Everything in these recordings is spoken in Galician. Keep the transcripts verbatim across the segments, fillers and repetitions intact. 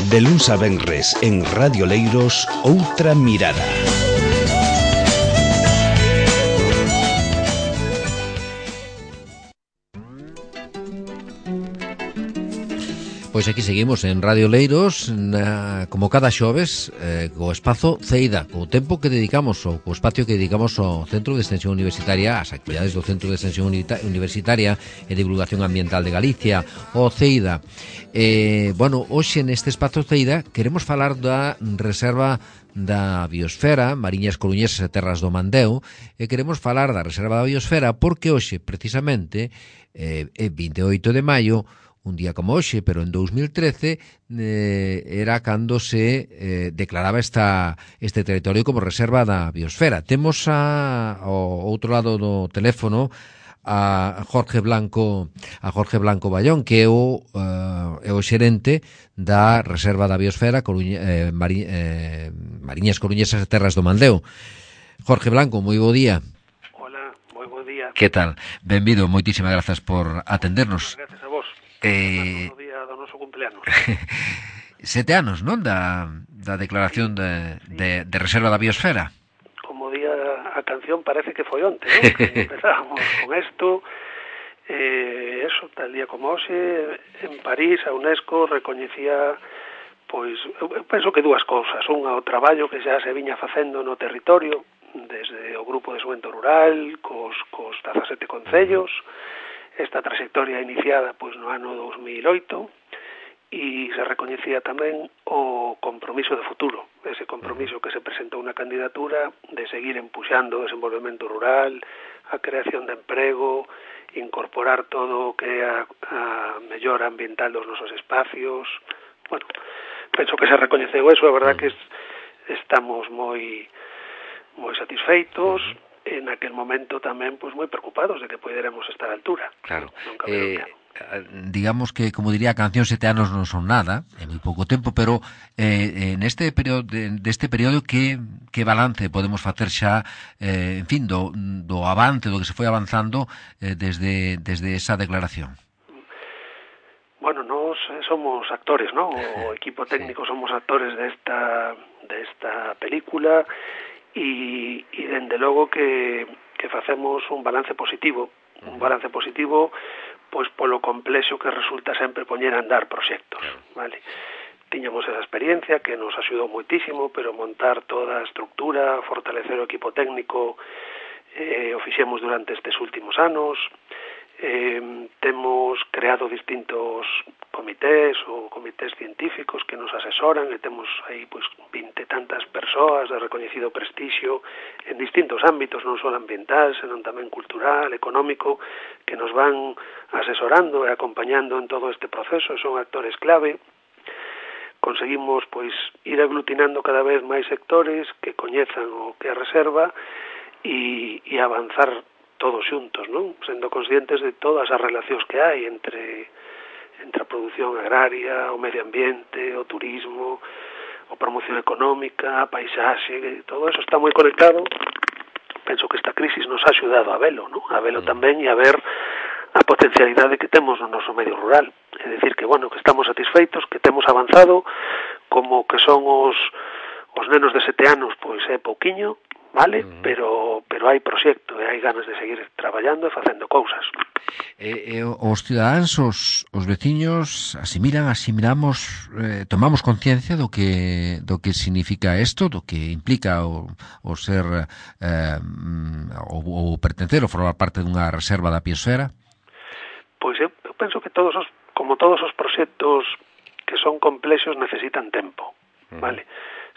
De luns a venres en Radio Leiros, Outra Mirada. Pois aquí seguimos en Radio Leiros, na, como cada xoves, eh, co espazo CEIDA, co tempo que dedicamos, ou co espacio que dedicamos ao Centro de Extensión Universitaria, as actividades do Centro de Extensión Universitaria e Divulgación Ambiental de Galicia, o CEIDA. Eh, bueno, hoxe neste espazo CEIDA queremos falar da reserva da Biosfera, Mariñas Coruñesas e Terras do Mandeo, e queremos falar da reserva da Biosfera porque hoxe, precisamente, eh, é vinte e oito de maio, un día como hoxe, pero en dos mil trece eh, era cando se eh, declaraba esta, este territorio como reserva da Biosfera. Temos a, ao outro lado do teléfono a Jorge Blanco a Jorge Blanco Ballón, que é o, uh, é o xerente da reserva da Biosfera Coruña, eh, Mari, eh, Mariñas Coruñesas e Terras do Mandeo. Jorge Blanco, moi bo día. Hola, moi bo día. Que tal? Benvido, moitísimas grazas por atendernos. Gracias a vos. Eh, no día do noso cumpleanos. Sete anos, non? Da, da declaración de, de, de reserva da Biosfera. Como día a canción parece que foi onte, non? Empezábamos con isto, eh, eso, tal día como hoxe, en París, a UNESCO recoñecía, pois, eu penso que dúas cousas. Unha, o traballo que xa se viña facendo no territorio, desde o Grupo de Fomento Rural, cos, cos dezasete concellos, esta trayectoria iniciada pois no ano dos mil oito, e se recoñecía tamén o compromiso de futuro, ese compromiso que se presentou na candidatura de seguir empuxando o desenvolvemento rural, a creación de emprego, incorporar todo o que é a, a mellora ambiental dos nosos espacios. Bueno, penso que se recoñeceu eso, a verdad que es, estamos moi moi satisfeitos, en aquel momento tamén pois moi preocupados de que poderemos estar á altura. Claro. Eh, digamos que, como diría a canción, sete anos non son nada, é moi pouco tempo, pero eh, neste período deste período que que balance podemos facer xa, eh, en fin, do, do avance, do que se foi avanzando eh, desde desde esa declaración? Bueno, nós somos actores, ¿no? O equipo técnico sí. Somos actores desta desta película. E, e dende logo que, que facemos un balance positivo, un balance positivo pois polo complexo que resulta sempre poñer a andar proxectos, vale? Tiñamos esa experiencia que nos axudou moitísimo, pero montar toda a estructura, fortalecer o equipo técnico, eh, o fixemos durante estes últimos anos. Eh, temos creado distintos comités ou comités científicos que nos asesoran e temos aí pois vinte tantas persoas de recoñecido prestixio en distintos ámbitos, non só ambiental, senón tamén cultural, económico, que nos van asesorando e acompañando en todo este proceso, son actores clave. Conseguimos pois ir aglutinando cada vez máis sectores que coñezan o que é a reserva e, e avanzar todos xuntos, non? Sendo conscientes de todas as relacións que hai entre entre a produción agraria, o medio ambiente, o turismo, a promoción económica, a paisaxe, todo eso está moi conectado. Penso que esta crisis nos ha axudado a velo, non? A velo tamén e a ver a potencialidade que temos no noso medio rural. É dicir que, bueno, que estamos satisfeitos, que temos avanzado, como que son os os nenos de sete anos, pois é pouquiño, vale, uh-huh. pero pero hai proxecto e hai ganas de seguir traballando e facendo cousas. Eh, eh, os cidadáns, os, os veciños asimilan, asimilamos, eh, tomamos conciencia do que do que significa isto, do que implica o, o ser eh, o, o pertencer ou formar parte dunha reserva da Biosfera? Pois eu, eu penso que todos os, como todos os proxectos que son complexos necesitan tempo, uh-huh. vale?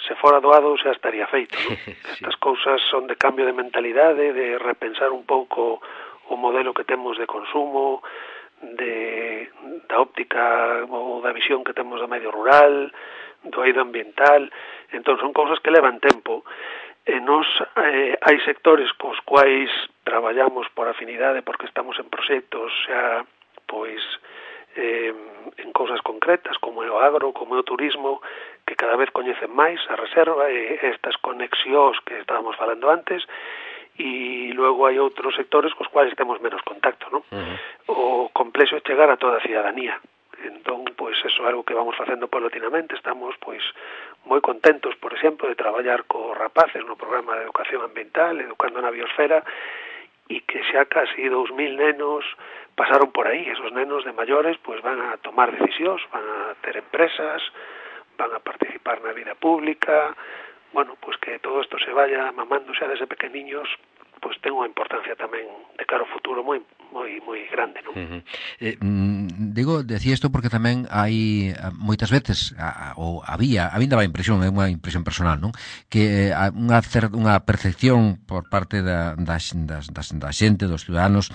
Se fora doado xa estaría feito, non? Sí. Estas cousas son de cambio de mentalidade, de repensar un pouco o modelo que temos de consumo, de da óptica ou da visión que temos do medio rural, do eido ambiental. Entón son cousas que levan tempo. E nos eh, hai sectores cos quais traballamos por afinidade porque estamos en proxectos xa pois eh, en cousas concretas como é o agro, como é o turismo, que cada vez coñecen máis a reserva e estas conexións que estábamos falando antes, e logo hai outros sectores cos quais temos menos contacto, non? Uh-huh. O complexo é chegar a toda a cidadanía, Entón, pois, eso é algo que vamos facendo paulatinamente. Estamos, pois, moi contentos, por exemplo, de traballar co rapaces no programa de educación ambiental, Educando na Biosfera, e que xa casi dous mil nenos pasaron por aí. Esos nenos de maiores, pois, van a tomar decisións, van a ter empresas, van a participar na vida pública. Bueno, pois que todo isto se vaya mamando xa desde pequeniños, pois ten unha importancia tamén de cara ao futuro moi moi moi grande, non? Uh-huh. Eh, mm, digo, decía isto porque tamén hai moitas veces a, ou había, a mí daba a impresión, é unha impresión personal, non? Que a, unha cer, unha percepción por parte da da, das, das, da xente, dos ciudadanos,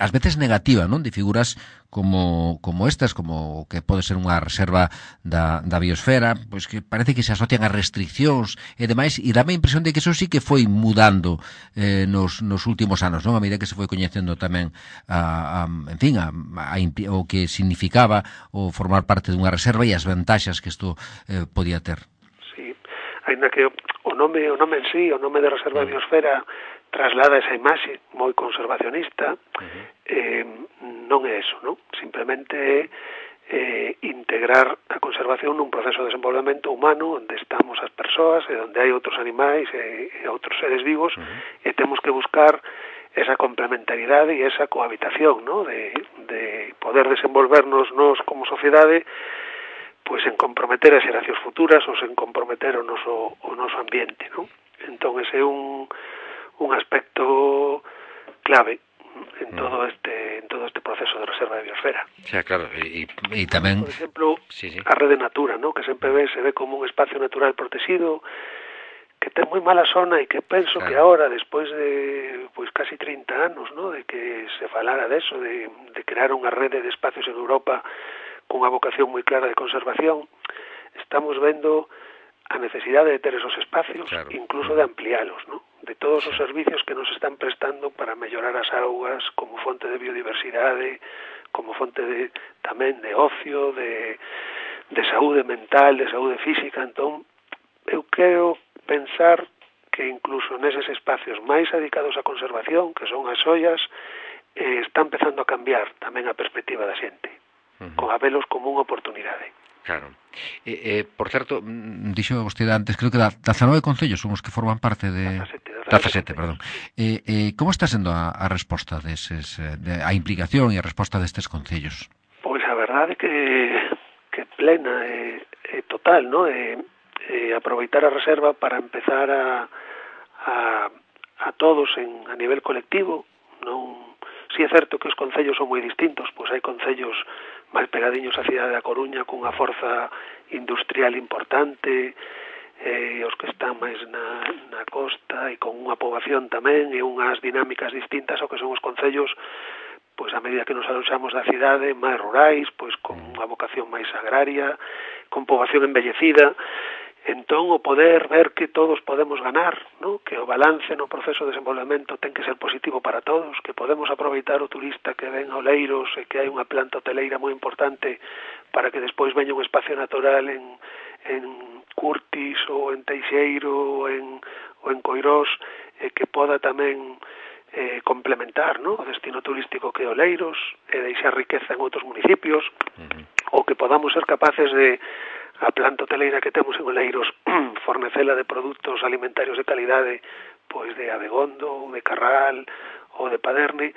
ás veces negativa, non? De figuras como como estas, como que pode ser unha reserva da, da biosfera, pois que parece que se asocian a restriccións e demais, e dame a impresión de que eso sí que foi mudando eh, nos, nos últimos anos, non? A medida que se foi coñecendo tamén a, a, en fin, a, a, a, o que significaba o formar parte dunha reserva e as vantaxas que isto eh, podía ter. Sí, ainda que o nome, o nome en sí, o nome de reserva de biosfera traslada esa imaxe moi conservacionista, uh-huh. eh, non é eso, non? Simplemente é eh, integrar a conservación nun proceso de desenvolvemento humano onde estamos as persoas e onde hai outros animais e, e outros seres vivos, uh-huh. e temos que buscar esa complementariedade e esa cohabitación, non? De, de poder desenvolvernos nós como sociedade, pois en comprometer as xeracións futuras ou en comprometer o noso, o noso ambiente, non? Entón, ese é un un aspecto clave en todo este en todo este proceso de reserva de biosfera. Xa, claro, e, e tamén, por exemplo, sí, sí. a Rede Natura, ¿no? Que sempre ve, se ve como un espacio natural protegido, que ten moi mala zona e que penso claro. Que ahora, despois de pois casi trinta anos, ¿no? De que se falara deso, de, de crear unha rede de espacios en Europa con unha vocación moi clara de conservación, estamos vendo a necesidade de ter esos espacios, claro. Incluso de ampliálos, ¿no? De todos os servicios que nos están prestando para mellorar as augas como fonte de biodiversidade, como fonte de tamén de ocio, de, de saúde mental, de saúde física. Entón, eu quero pensar que incluso neses espacios máis dedicados á conservación, que son as ollas, eh, está empezando a cambiar tamén a perspectiva da xente, uh-huh. Con a velos como unha oportunidade. Claro. Eh, eh, por certo, dixo vostede antes, creo que da dezanove concellos son os que forman parte de dezasete, perdón. Eh, eh, como está sendo a, a resposta deses, de, a implicación e a resposta destes concellos? Pois a verdade que que plena e, e total, ¿no? E, e aproveitar a reserva para empezar a a, a todos en a nivel colectivo, non. Si é certo que os concellos son moi distintos, pois hai concellos máis pegadiños á cidade da Coruña cunha forza industrial importante, eh, os que están máis na, na costa e con unha poboación tamén e unhas dinámicas distintas ao que son os concellos, pois a medida que nos aloxamos da cidade, máis rurais, pois con unha vocación máis agraria, con poboación envellecida. Entón, o poder ver que todos podemos ganar, ¿no? Que o balance no proceso de desenvolvemento ten que ser positivo para todos, que podemos aproveitar o turista que ven a Oleiros e que hai unha planta hoteleira moi importante para que despois veña un espacio natural en, en Curtis ou en Teixeiro ou en, ou en Coirós, e que poda tamén eh, complementar, ¿no? O destino turístico que é Oleiros e deixar riqueza en outros municipios, uh-huh. Ou que podamos ser capaces de a planta hoteleira que temos en Oleiros fornecela de produtos alimentarios de calidade, pois de Abegondo, de Carral ou de Paderne,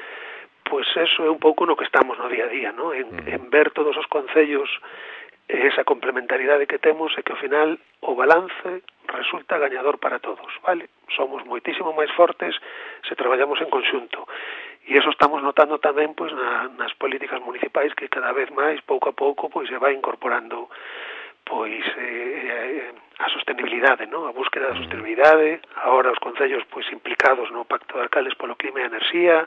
pois eso é un pouco no que estamos no día a día, ¿no? En, mm. en ver todos os concellos esa complementariedade que temos e que ao final o balance resulta gañador para todos, vale? Somos moitísimo máis fortes se traballamos en conxunto. E eso estamos notando tamén pois na, nas políticas municipais que cada vez máis, pouco a pouco, pois se vai incorporando pois eh, a sostenibilidade, ¿no? A búsqueda da sostenibilidade, agora os concellos pois implicados no Pacto de Alcaldes polo Clima e a Enerxía,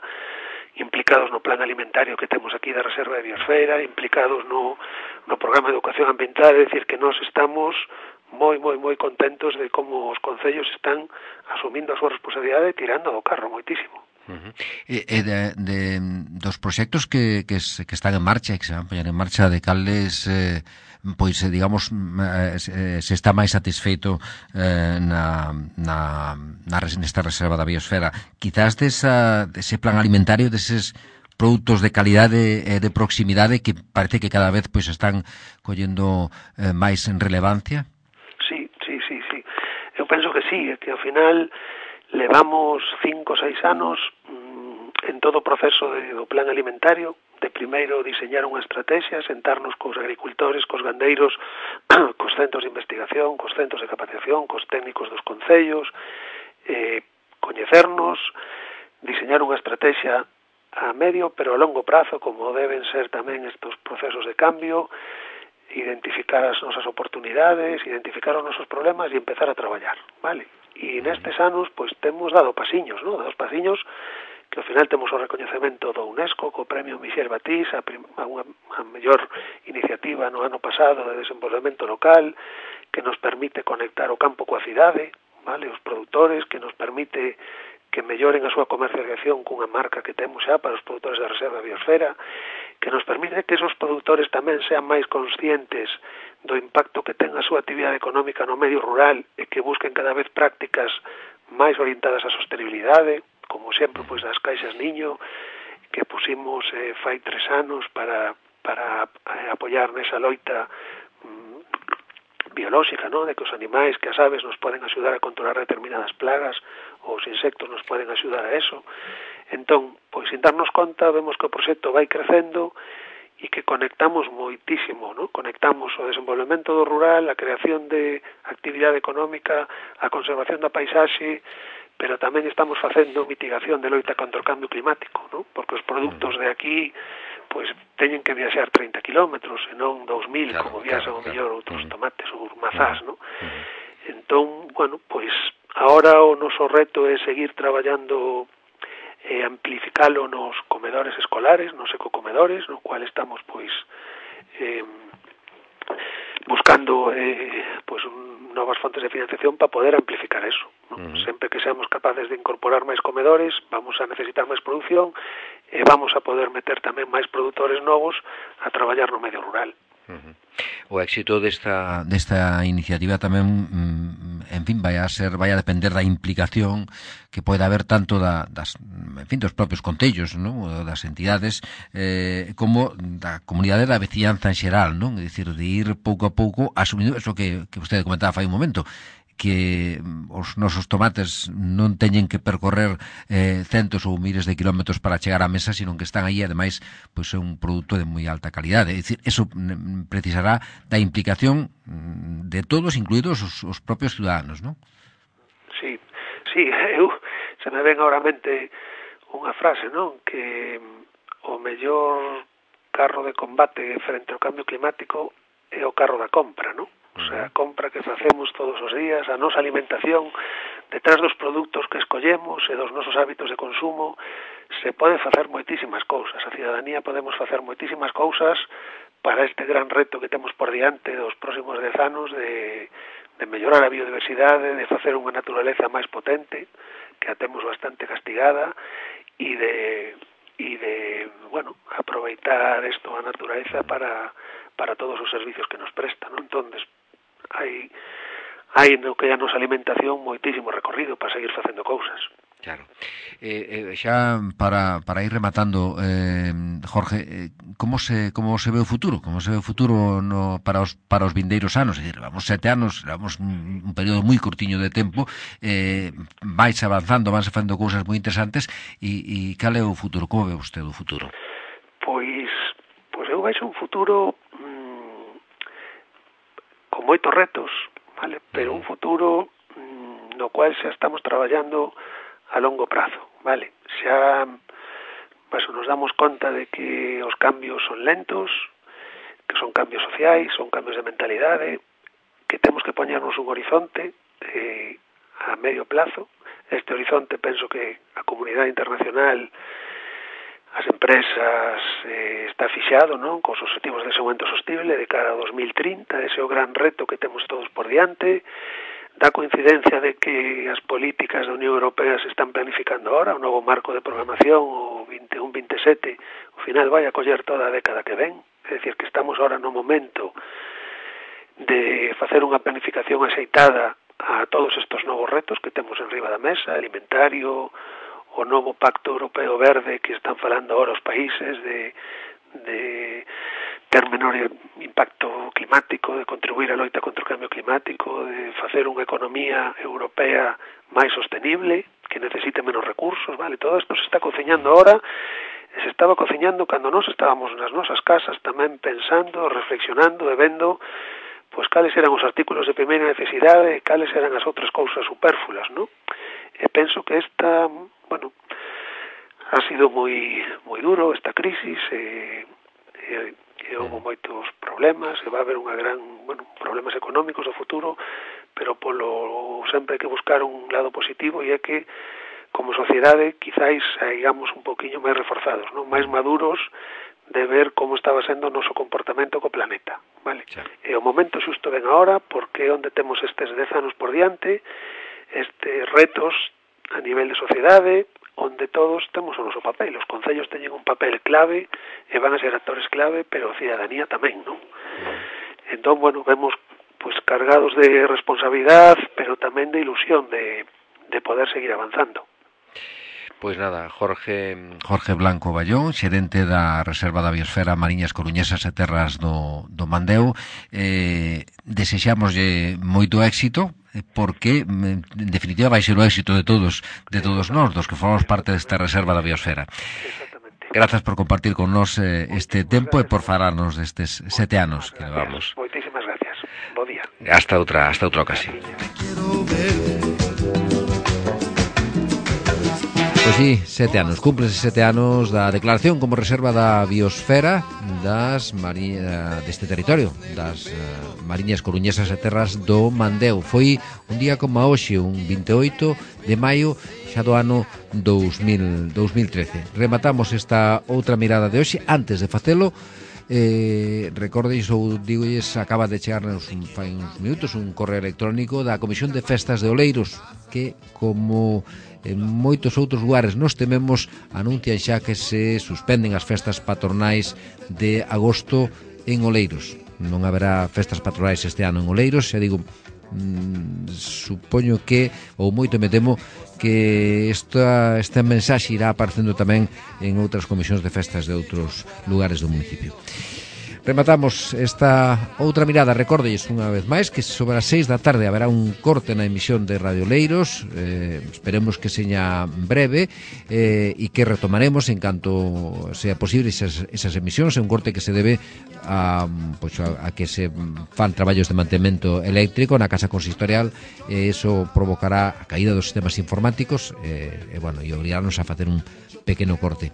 implicados no plan alimentario que temos aquí da Reserva de Biosfera, implicados no, no programa de educación ambiental, é dicir, que nós estamos moi, moi, moi contentos de como os concellos están asumindo a súa responsabilidade e tirando do carro moitísimo. Uh-huh. E, e de, de, dos proxectos que, que, se, que están en marcha e que se van a poñer en marcha, de cales eh, pois, digamos, se, se está máis satisfeito eh, na, na, na nesta reserva da biosfera, quizás desa, dese plan alimentario, deses produtos de calidade e de proximidade que parece que cada vez pois están collendo eh, máis en relevancia? Sí, sí, sí, sí. Eu penso que sí, que ao final levamos cinco ou seis anos mmm, en todo o proceso de, do plan alimentario, de primeiro diseñar unha estrategia, sentarnos cos agricultores, cos gandeiros, cos centros de investigación, cos centros de capacitación, cos técnicos dos concellos, eh, coñecernos, diseñar unha estrategia a medio pero a longo prazo, como deben ser tamén estos procesos de cambio, identificar as nosas oportunidades, identificar os nosos problemas e empezar a traballar, vale? E nestes anos, pois, temos dado pasiños, non? Dado pasiños que ao final temos o recoñecemento do UNESCO co premio Michel Batís a, a unha a mellor iniciativa no ano pasado de desenvolvemento local que nos permite conectar o campo coa cidade, vale, os produtores, que nos permite que melloren a súa comercialización cunha marca que temos xa para os produtores da Reserva da Biosfera, que nos permite que esos produtores tamén sean máis conscientes do impacto que ten a súa actividade económica no medio rural e que busquen cada vez prácticas máis orientadas á sostenibilidade, como sempre pois das caixas niño que pusimos eh, fai tres anos para, para eh, apoiar nesa loita mm, biolóxica, ¿no? De que os animais, que as aves nos poden axudar a controlar determinadas plagas, ou os insectos nos poden axudar a eso. Entón, pois sin darnos conta, vemos que o proxecto vai crecendo e que conectamos moitísimo, ¿no? Conectamos o desenvolvemento do rural, a creación de actividade económica, a conservación da paisaxe, pero tamén estamos facendo mitigación de loita contra o cambio climático, ¿no? Porque os produtos de aquí pois teñen que viaxar trinta kilómetros e non dous mil, claro, como viaxan claro, o mellor claro. outros tomates ou mazás, ¿no? Uh-huh. Entón, bueno, pois agora o noso reto é seguir traballando e amplificalo nos comedores escolares, nos ecocomedores, no cual estamos pois eh, buscando eh, pois un, novas fontes de financiación para poder amplificar eso, ¿no? Uh-huh. Sempre que seamos capaces de incorporar máis comedores, vamos a necesitar máis produción e vamos a poder meter tamén máis produtores novos a traballar no medio rural. Uh-huh. O éxito desta desta iniciativa tamén, mm, en fin, vai a ser, vai a depender da implicación que poida haber tanto da, das, en fin, dos propios concellos, non? Das entidades, eh, como da comunidade da veciñanza en xeral, non? É dicir, de ir pouco a pouco asumindo eso que, que vostede comentaba fai un momento, que os nosos tomates non teñen que percorrer eh, centos ou miles de kilómetros para chegar á mesa, sino que están aí, ademais, pois é un produto de moi alta calidade. É dicir, eso precisará da implicación de todos, incluídos os, os propios ciudadanos, non? Sí, sí, eu se me ven agora a mente unha frase, non? Que o mellor carro de combate frente ao cambio climático é o carro da compra, non? O sea, a compra que facemos todos os días, a nosa alimentación, detrás dos produtos que escollemos e dos nosos hábitos de consumo, se pode facer moitísimas cousas. A cidadanía podemos facer moitísimas cousas para este gran reto que temos por diante dos próximos dez anos de, de mellorar a biodiversidade, de facer unha naturaleza máis potente, que a temos bastante castigada, e de, e de bueno, aproveitar isto a naturaleza para, para todos os servicios que nos presta, non? Entón, hai hai no que é a nosa alimentación moitísimo recorrido para seguir facendo cousas. Claro. Eh, eh, xa para, para ir rematando, eh, Jorge, eh, como se como se ve o futuro? Como se ve o futuro no, para os para os vindeiros anos? É dicir, vamos sete anos, vamos un, un período moi curtiño de tempo, eh, vais avanzando, vanse facendo cousas moi interesantes, e, e cal é o futuro? Como ve vostede o futuro? Pois, pois eu veixo un futuro mmm, con moitos retos, vale? Pero un futuro mmm, no cual xa estamos traballando a longo prazo, vale? Xa pues, nos damos conta de que os cambios son lentos, que son cambios sociais, son cambios de mentalidade, que temos que poñernos un horizonte eh, a medio plazo. Este horizonte penso que a comunidade internacional, as empresas, eh, está fixado, non? Cos objetivos de desenvolvemento sostible de cara a dos mil trinta, ese é o gran reto que temos todos por diante. Da coincidencia de que as políticas da Unión Europea se están planificando ahora, o novo marco de programación, o veintiún veintisiete, ao final vai a coller toda a década que ven. É dicir, que estamos ahora no momento de facer unha planificación axeitada a todos estes novos retos que temos en riba da mesa, alimentario, o o novo Pacto Europeo Verde que están falando ahora os países de, de ter menor impacto climático, de contribuir á loita contra o cambio climático, de facer unha economía europea máis sostenible, que necesite menos recursos, vale? Todo isto se está cociñando ahora, se estaba cociñando cando nós estábamos nas nosas casas tamén pensando, reflexionando e vendo pois cales eran os artículos de primeira necesidade e cales eran as outras cousas supérfluas, non? E penso que esta, bueno, ha sido moi moi duro esta crisis e, e, e houve moitos problemas e va a haber unha gran, bueno, problemas económicos no futuro, pero polo sempre hai que buscar un lado positivo e é que como sociedade quizáis saigamos un poquinho máis reforzados, non? Máis maduros de ver como estaba sendo o noso comportamento co planeta, vale? Sí. E o momento xusto ven agora porque é onde temos estes dez anos por diante, estes retos a nivel de sociedade, onde todos temos o noso papel. Os concellos teñen un papel clave e van a ser actores clave, pero a cidadanía tamén, non? Mm. Entón, bueno, vemos pues cargados de responsabilidade, pero tamén de ilusión de, de poder seguir avanzando. Pois nada, Jorge Jorge Blanco Ballón, xerente da Reserva da Biosfera Mariñas Coruñesas e Terras do, do Mandeo, eh, desexámoslle moito éxito, porque en definitiva vai ser o éxito de todos de todos nós, dos que formamos parte desta Reserva da Biosfera. Grazas por compartir con nós eh, este tempo e por falarnos destes sete anos que levamos. Moitísimas gracias. Bo día. Hasta outra, hasta outra ocasión. Pois sí, sete anos, cúmplense sete anos da declaración como reserva da biosfera das mari... deste territorio, das uh, Mariñas Coruñesas e Terras do Mandeo. Foi un día como a hoxe, un vinte e oito de maio xa do ano dous mil trece. Rematamos esta outra mirada de hoxe. Antes de facelo, eh, recordeix ou digolles, acaba de chegarnos un, fai uns minutos un correo electrónico da Comisión de Festas de Oleiros, que como en moitos outros lugares nos tememos, anuncian xa que se suspenden as festas patronais de agosto en Oleiros. Non haberá festas patronais este ano en Oleiros, xa digo, mmm, supoño que, ou moito me temo, que esta, esta mensaxe irá aparecendo tamén en outras comisións de festas de outros lugares do municipio. Rematamos esta outra mirada. Recórdelles unha vez máis que sobre as seis da tarde haberá un corte na emisión de Radio Leiros, eh, esperemos que seña breve eh, e que retomaremos en canto sea posible esas, esas emisións. É un corte que se debe a, pues, a, a que se fan traballos de mantemento eléctrico na casa consistorial e iso provocará a caída dos sistemas informáticos e, e, bueno, e obrigarnos a facer un pequeno corte.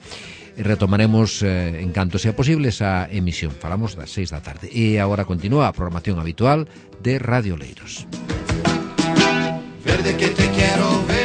Retomaremos eh, en canto sea posible esa emisión. Falamos das seis da tarde. E agora continúa a programación habitual de Radio Leiros. Verde que te quiero ver.